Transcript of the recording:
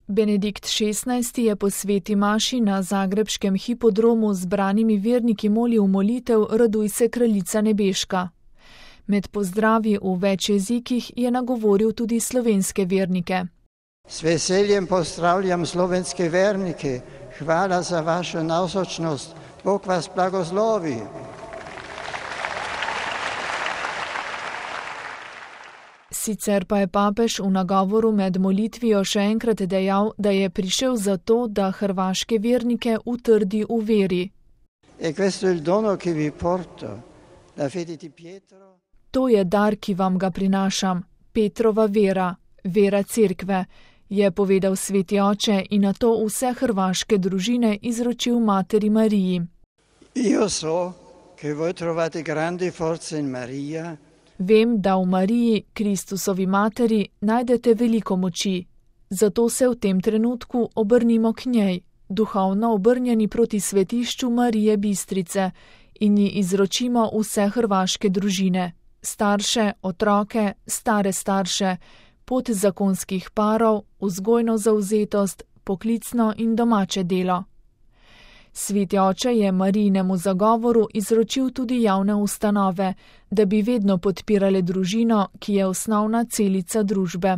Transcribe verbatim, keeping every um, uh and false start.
Benedikt šestnajsti je po sveti maši na zagrebškem hipodromu z branimi verniki molil molitev Raduj se, kraljica nebeška. Med pozdravi v več jezikih je nagovoril tudi slovenske vernike. S veseljem pozdravljam slovenske vernike. Hvala za vašo navzočnost. Bog vas blagoslovi. Sicer pa je papež v nagovoru med molitvijo še enkrat dejal, da je prišel zato, da hrvaške vernike utrdi v veri. E questo è il dono che vi porto, la fede di Pietro. To je dar, ki vam ga prinašam, Petrova vera, vera cerkve, je povedal sveti oče in nato vse hrvaške družine izročil materi Mariji. Io so che voi trovate grande forza in Maria. Vem, da v Mariji, Kristusovi materi, najdete veliko moči, zato se v tem trenutku obrnimo k njej, duhovno obrnjeni proti svetišču Marije Bistrice in ji izročimo vse hrvaške družine, starše, otroke, stare starše, pot zakonskih parov, vzgojno zavzetost, poklicno in domače delo. Sveti oče je Marijinemu zagovoru izročil tudi javne ustanove, da bi vedno podpirale družino, ki je osnovna celica družbe.